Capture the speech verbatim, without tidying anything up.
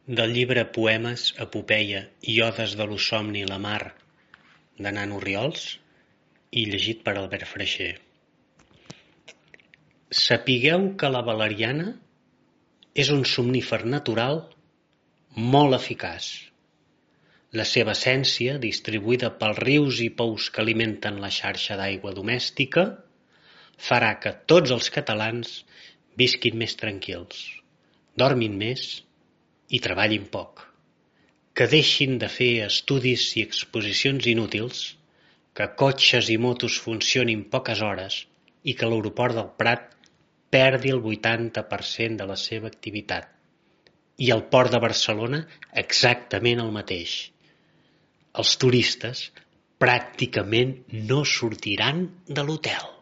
Del llibre Poemes, epopeia i odes de l'Osomni la mar de Nano Orriols i llegit per Albert Freixer. Sapigueu que la valeriana és un somnífer natural molt eficaç. La seva essència, distribuïda pels rius i pous que alimenten la xarxa d'aigua domèstica, farà que tots els catalans visquin més tranquils, dormin més i treballin poc, que deixin de fer estudis i exposicions inútils, que cotxes i motos funcionin poques hores i que l'aeroport del Prat perdi el vuitanta per cent de la seva activitat i el port de Barcelona exactament el mateix. Els turistes pràcticament no sortiran de l'hotel.